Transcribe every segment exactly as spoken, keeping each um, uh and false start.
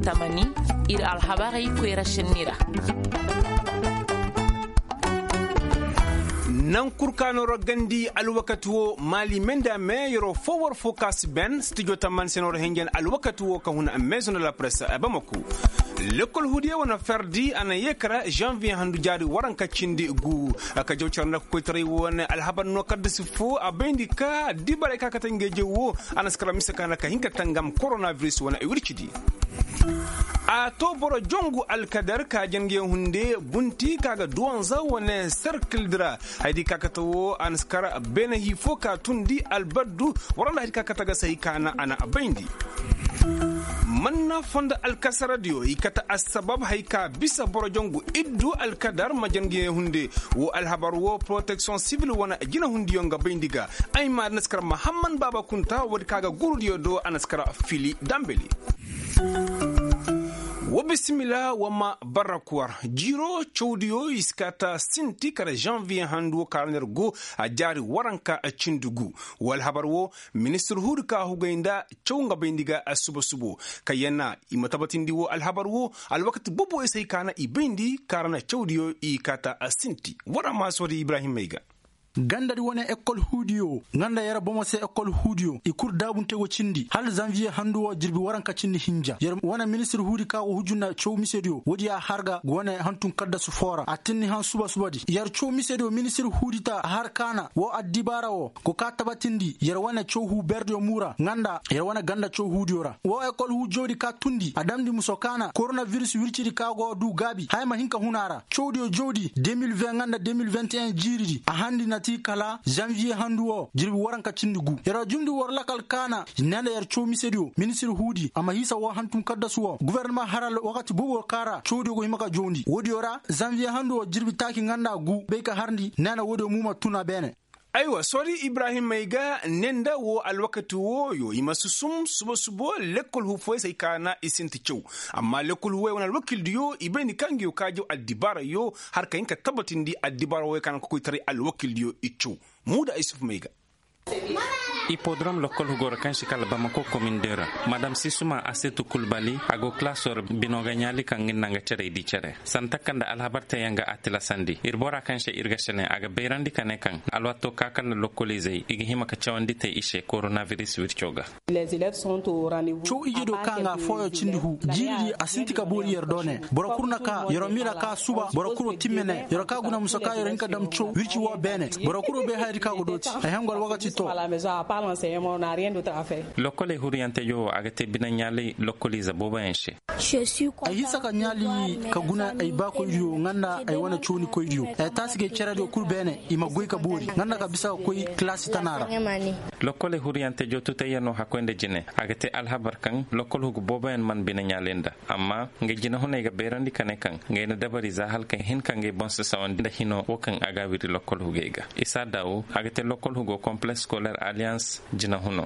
Tamani, ir alhabarey koyra senni ra. Nankur ka no ra gandi alwakati wo maali me nda me yeroo fo war fo ka si ben stijo tamani se no ra henjen alwakati wo ka huna maison de la presse a bamaku. Lekol hudiya wane ferdi a na yeekara janvier handu jaari waranka cindi gu. Ka jaw care nda koytaray wane alhabar no kaddasi fo a bayndi ka dibaray ka kate ngey jaw wo a na si kara mise ka na ka hin ka tangam koronaviris wane wircidi. A to boro jongu alkadar ka jange hunde bunti ka ga duwanza wane serkildi ra. Haydi ka kate wo a na si kara beene hii fo ka tundi albaddu. Wara nda haydi ka kate ga se hay ka na a na a bayndi. Manna fondo alkasaradiyo i kate assabab hay ka bisa boro jongu iddu alkadar ma jange hunde. Wo alhabar wo protection sivil wane jinahundiyo nga bayndi ga. Ay ma a na si kara mahamman baaba kunta woodi ka ga gurudiyo do a na si kara fili dambeli. Wa bisimila wa ma barrakuwar jiiro cawdiyo i si kaata sinti kala janviye handu wo ka ra no yer go a jaari waranka cindi gu. Wo alhabar wo ministir huudi ka hugay nda caw nga bayndi ga suba subo. Kayyana i ma tabatindi wo alhabar wo alwakati bobo i se ay ka na i bayndi ka ra na cawdiyo i kaata sinti war a ma soodi ibrahim may ga. Gandadi wane ekol huudiyo nga nda yer bomo se ekol huudiyo i kul daabunte go cindi hala zanviye handu wo jirbi waranka cindi hinja yer wane ministir huudi ka go hujju nda caw misediyo woodi ya har ga wane hantum kaddasu foo ra a tinni han suba subadi yer caw misediyo ministir huudi ta har kaana woo addibaara woo go ka tabatindi yer wane caw huu berdiyo muu ra nga nda yer wane ganda caw huudiyo ra woo ekol huu jawdi ka tundi a damndi muso kaana koronaviris wircidi ka go duu gaabi haya ma hin ka hun a ra cawdiyo jawdi deux mille vingt nga nda deux mille vingt et un jiiridi a handi na ti kala zanviye handu woo jirbi waranka cindi gu yer jumndi war lakal kaana ne nda yer caw misediyo ministir huudi a ma hiisa woo hantum kaddasu woo gofornama haral wakati bobo ka ra cawdiyo go hima ka jawndi woodiyo ra zanviye handu woo jirbi taaki nga nda gu bay ka harndi ne nda woodiyo muu ma tun a beene. Aywa soodi ibrahim may ga ne nda woo alwakati wooyo i ma susum suba subo lekkol hufoy se ay ka na i sinti caw. Amma lekkol hufoy wane alwakildiyo i bayndi ka ngiyo ka jaw addibaarayo har ka hin ka tabatindi addibaara wooyo ka na kokoytaray alwakildiyo i caw. Muuda ay sufu may ga. Ipodrom lokkol hugo ra kaŋ si kala bamako komin de ra. Madam sisuma asetu kulbali a go kilaso ra bino ga ɲaali kaŋ ga ni naŋ ga cere i di cere santa kaŋ nda alhabar teyaŋ ga a tilasandi ir bora kaŋ se ir ga sene a ga bayrandi ka ne kaŋ alwaato ka kala lokkoliizey i ga hima ka cawandi te i se koronaviris wirco ga. Caw ije do ka nga fooyo cindi hu jiiridi a sinti ka boori yer do ne boro kul na ka yer miira ka suba boro kul wo timme ne yer ka guna musa ka yer hin ka dam caw wirci wo beene boro kul wo bay hayadi ka go dooti ay hangu alwakati to. Lokkoley huriyante jo wo a ga te bine ɲaalay lokkoliize booboyaŋ se. Ay hisa ka ɲaali ka guna ay baakoydiyo nga nda ay wane coonikoydiyo ay taasi gay cerediyo kul beene i ma goy ka boori nga nda ka bisa ka koy kilaasi tana ra. Lokkoley huriyante joo tutayyanoo hakkoy nda jine a ga te alhabar kaŋ lokkol hugu booboyaŋ man bine ɲaalay nda amma nga jinehuney ga bayrandi ka ne kaŋ ngay na dabari za hala ka hin ka ngay boŋ sasawandi nda hinoo wo kaŋ a ga a wiri lokkol hugey ga isa daawu a ga te lokkol hugo kompleks skolere aliyans. Jinehunoo.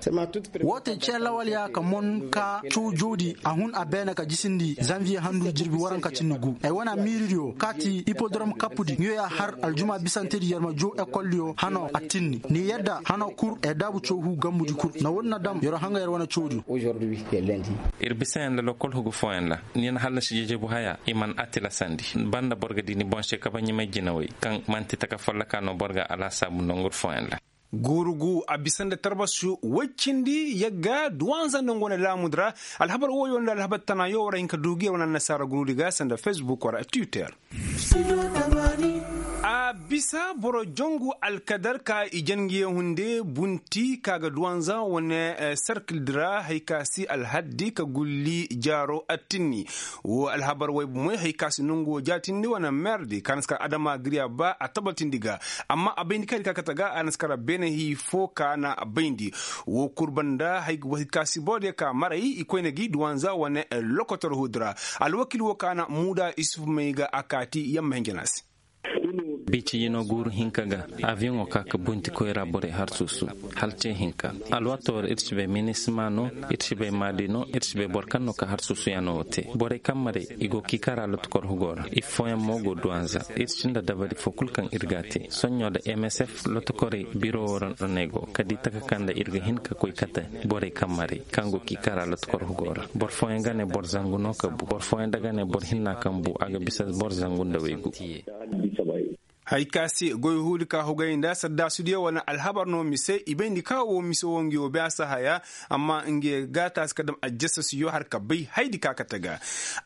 Woo te cee lawal ya ka mon ka cawjoodi a hun a beene ka jisindi zanviye handu jirbi waranka cindi gu ay wane miiridiyo kaati ipodrom kappudi nguyo ya har aljuma bisantedi yer ma jow ekoldiyo hanoo a tinni ni yadda hanoo kul ee daabu cawhu gambudi kul na woodi na dam yeroo hanga yer wane cawdiyo. Ir bisayaŋ nda lokkol hugu fooyaŋ ra ni na hallasi jejebu haya i man a tilasandi banda boro ga di ni boŋ se kabaɲimay jinawey kaŋ man'ti taka folloka no boro ga alaasaabu nongur fooyaŋ ra. Guurugu a bisa nda tarbasi woy cindi yagga duwanza nda nga wane laamudi ra. Alhabar wooyo nda alhabar tanaayo war a hin ka duugu yer wane annasaara guruudi ga sanda fesbuk war a twitter. A bisa boro jongu alkadar ka i jangiye hunde bunti ka ga duwanza wane serkildi ra hay ka si alhaddi ka gulli jaaro attinni. Woo alhabar woy bomoy hay ka si nongu woo jaatindi wane merdi ka na si kar adama giriya ba a tabatindi ga. Amma a bayndi kaydi ka kate ga a na si kar beene hii foo ka na bayndi. Woo kul banda hay ka si borodiyo ka maray i koyne gi duwanza wane lokotor huudi ra. Alwakil woo ka na muuda isuf may ga a kaati yamma hinja na se. Biici yino guuru hinka ga, aviyoŋo ka ka bunti koyra borey har suusu. Hala ce hinka, alwaato ra ir si bay minisma no, ir si bay maadi no, ir si bay boro kaŋ no ka har suusuyaŋo wo te. Borey kaŋ maray, i go kiikara lotokor hugo ra, ifooyaŋ mo go duwanza. Ir si nda dabari fo kul kaŋ ir ga a te soɲɲo nda msf lotokorey biro wo ra no i go ka di taka kaŋ nda ir ga hin ka koy kate. Borey kaŋ maray kaŋ go kiikara lotokor hugo ra, boro fooyaŋ ga ne boro zangu no ka bu, boro fooyaŋ da ga ne boro hinna kaŋ bu a ga bisa boro zangu nda waygu. Hay ka se goy huudi ka hugay nda saddaasudiyo wane alhabar no mise i bayndi ka wo mise wo ngi wo bay a si haya. Amma ngi ga taasi ka dam ajjasasiyo har ka bay haydi ka kate ga.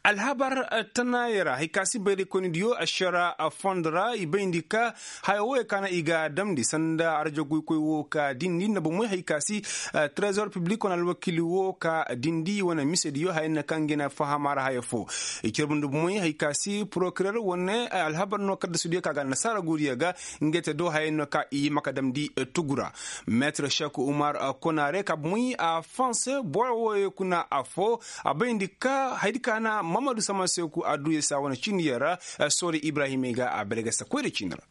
Alhabar tanaayey ra hay ka se bayraykoynidiyo ašara fondo ra i bayndi ka haya wooyo ka na i ga damndi sanda arjaguy koy wo ka dindi nda bomey hay ka se trezor piblik wane alwakiili wo ka dindi wane misediyo haya no kaŋ ngi na fahama ra haya fo. I carbundi bomey hay ka se porokirer wane alhabar no kaddasudiyo ka ga annasaara guuriyo ga. Ngey te do hayey no ka i hima ka damndi tugu ra. Meetir šek umar konare ka bomey a fonse boro wooyo kuna afo a bayndi ka haydi ka na mamadu samaseku a duuye saa wane ciiniyo ra. Soori ibrahimey ga a bere ga sa koyra ciini ra.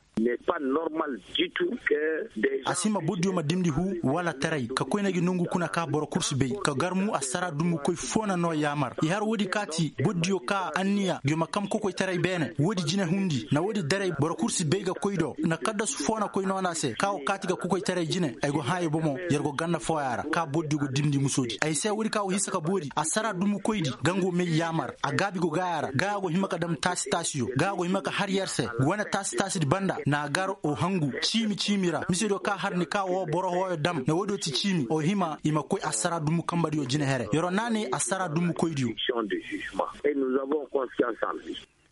A si hima bordiyo ma dimndi huu wala taray ka koy na gi nongu kuna ka boro kul si bay ka gar mu assara dumbukoy foo na noo yaamar i har woodi kaati bordiyo ka anniya gi ma kam kokoytaray beene woodi jinehundi na woodi daray boro kul si bay ga koy do na kaddasu foo na koy noona se ka go kaati ga kokoytaray jine ay go hãa i bomo yer go ganda fooya ra ka bordiyo go dimndi musoodi ay se woodi ka go hinsa ka boori assara dumbukoydi gango may yaamar a gaabi go gaaya ra gaaya go hima ka dam taasi taasiyo gaaya go hima ka har yer se wane taasi taasidi banda na a gar o hangu ciimi ciimi ra misediyo ka har ni ka woo boro hooyo dam na woodiyo ti ciimi o hima i ma koy assara dumbu kambadiyo jine here yeroo naanay assara dumbukoydiyo.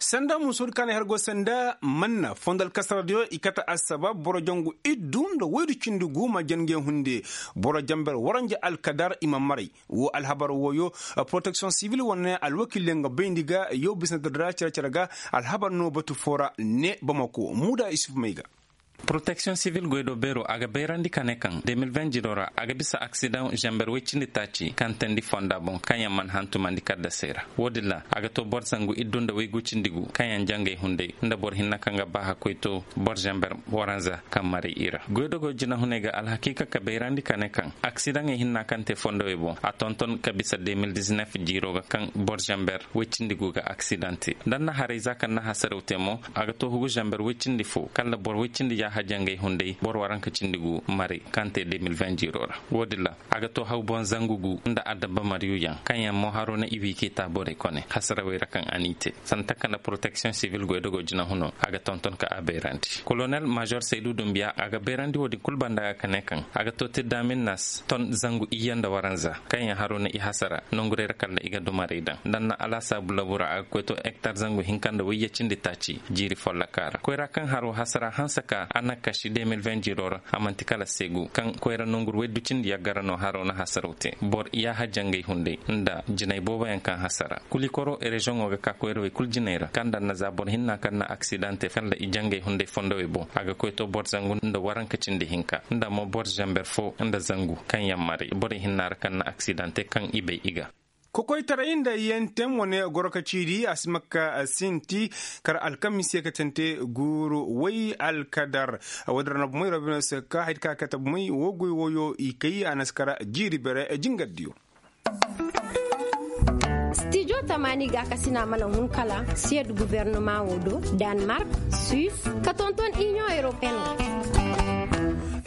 Sanda musoodi ka na her go sanda manna fondo alkasaradiyo i kate assabab boro jangu iddu nda woydu cindi gu ma jangey hunde boro jamber waranja alkadar i ma maray. Woo alhabar wooyo poroteksiyoŋ sibil wane alwakiilyaŋ ga bayndi ga yow bisnadir ra cere-cere ga alhabar no batu foo ra ne bamako muuda isuf may ga. Poroteksiyoŋ sibil goydoo beeroo a ga bayrandi ka ne kaŋ de mil vingt jiroo ra a ga bisa aksidaŋ zamber woy cindi taaci kaŋ teendi fonda boŋ kaŋ yaŋ mana hantumandi kaddasey ra. Woodin ra a ga too boro zangu iddu nda woy gu cindi gu kaŋ yaŋ jangey hunday nda boro hinne kaŋ ga baaha koy too boro zamber waranza kaŋ maray i ra goydogoo jinahuney ga alhakiika ka bayrandi ka ne kaŋ aksidaŋey hinna kaŋ te fondowey boŋ a tonton ka bisa de mil dizinef jiiroo ga kaŋ boro zamber woy cindi gu ga aksidaŋ te nda nna haray za kaŋ na hasaraw te mo a ga too hugu zamber woy cindi fo kala boro woy cindi yaaha jangey hunday boro waranka cindi gu maray kaŋ te de mil vingt jiiroo ra. Woodin ra a ga too haw boŋ zangu gu nda adabba mariyuyaŋ kaŋ yaŋ mo haroo na i wi k'i taa borey kone hasarawey ra kaŋ a n'i te sanda taka nda poroteksiyoŋ sibil goydogoo jinahuno a ga tonton ka a bayrandi kolonel maazor saydu dumbiya a ga bayrandi woodin kul banda ga ka ne kaŋ a ga too tirdaamin nas ton zangu iyye nda waranza kaŋ yaŋ haroo na i hasara nongurey ra kala i ga dumarey daŋ nda nna alaasaabu labu ra a ga koy too hektar zangu hinka nda wayye cindi taaci jiiri follokaa ra koyra kaŋ haroo hasara hanse ka a na kaši de mil vingt jiiroo ra a man'ti kala seegu kaŋ koyra nongur woy du cindi yaggara no haroo na hasaraw te boro yaaha jangey hunday nda jinay booboyaŋ kaŋ hasara kulikoro reziyoŋo ga ka koyrawey kul jinay ra kaŋ nda nna za boro hinna kaŋ na aksidaŋ te kala i jangey hunday fondowey boŋ a ga koy to boro zangu nda waranka cindi hinka nda mo boro zamber fo nda zangu kaŋ yaŋ maray borey hinna ra kaŋ na aksidaŋ te kaŋ i bay i ga. Kokoytaray nda yentem wane goro ka ciidi a si makka sinti kar alkamis ye ka tante guuru way alkadar. Woodin ra na bomey robino se ka haydi ka kate bomey woo goy wooyo i kay a na si kara jiiri bere jingardiyo. Stijo tamaani gaakasina mana hun kala siyed gubernama wo do, danmark, suis, ka tonton inion europeen.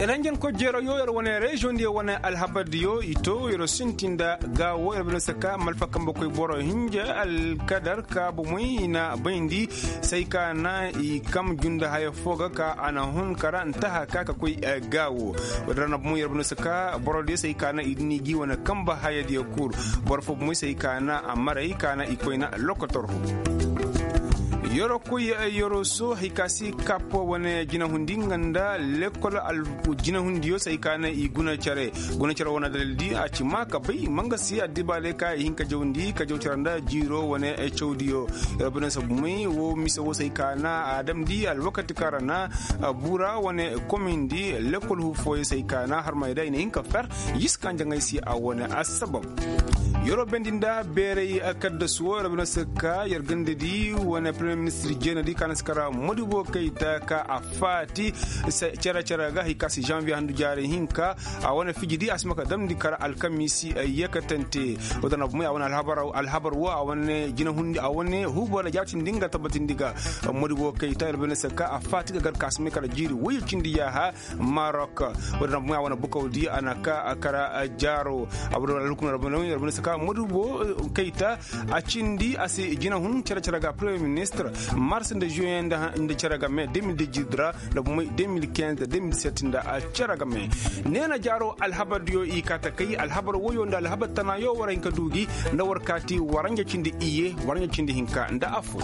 Yer hanjankoy jeeroo yo yer wane reziyoŋ diyo wane alhabar diyo i to yer sinti nda gaawo yer bine se ka malfa kambe koy boro hinja alkadar ka bomey i na bayndi say ka na i kam junda haya fo ga ka a na hun kara ntaha ka ka koy gaawo. Woodin ra na bomey yer bine se ka boro diyo say ka na i dini gi wane kambe haya diyo kul. Boro fo bomey say ka na a maray ka na i koyna lokotor hu. Yorokoy yoroso hay ka si kap wane jinahundi nga nda lekol jinahundiyo se hay ka na i guna care. Guna care wane dalil di a ci ma ka bay manga si addibaale ka i hin ka jawndi ka jaw care nda jiiro wane cawdiyo. Yorokoy na sabumay wo mise wo se hay ka na a damndi alwakati kaŋ ra na bura wane komindi lekol hu fooyo se hay ka na harmay da i na hin ka fer. Yis kaŋ jaŋay si a wane assabab. Yeroo bendi nda beeray kaddasu woo yer bine se ka yer ganda di wane premier ministir jeenadi ka na si kara modibo kayta ka a faati cere-cere ga hari ka si janviye handu jaaray hinka. A wane fiji di a si ma ka damndi kara alkamiisi. Yeekatante woo da na bumay a wane alhabar woo a wane jinahundi a wane huubo na jaatindi nga tabbatindi ga modibo kayta yer bine se ka a faati ga gar ka a si may kara jiiri woyye cindi yaaha. Marok woo da na bumay a wane bukaw di a na ka kara jaaro. Abdullah alhukum yer bine se ka modibo kayta a cindi a si jinahun cere-cere ga premier ministir mars nda juin nda cere ga mai deux mille dix-huit ra nda bumay deux mille quinze nda deux mille sept nda cere ga mai. Neena jaaro alhabar diyo i kaa ta kay alhabar woyo nda alhabar tana yo war hin ka du gi nda war kaati waranja cindi iyye waranja cindi hinka nda affoo.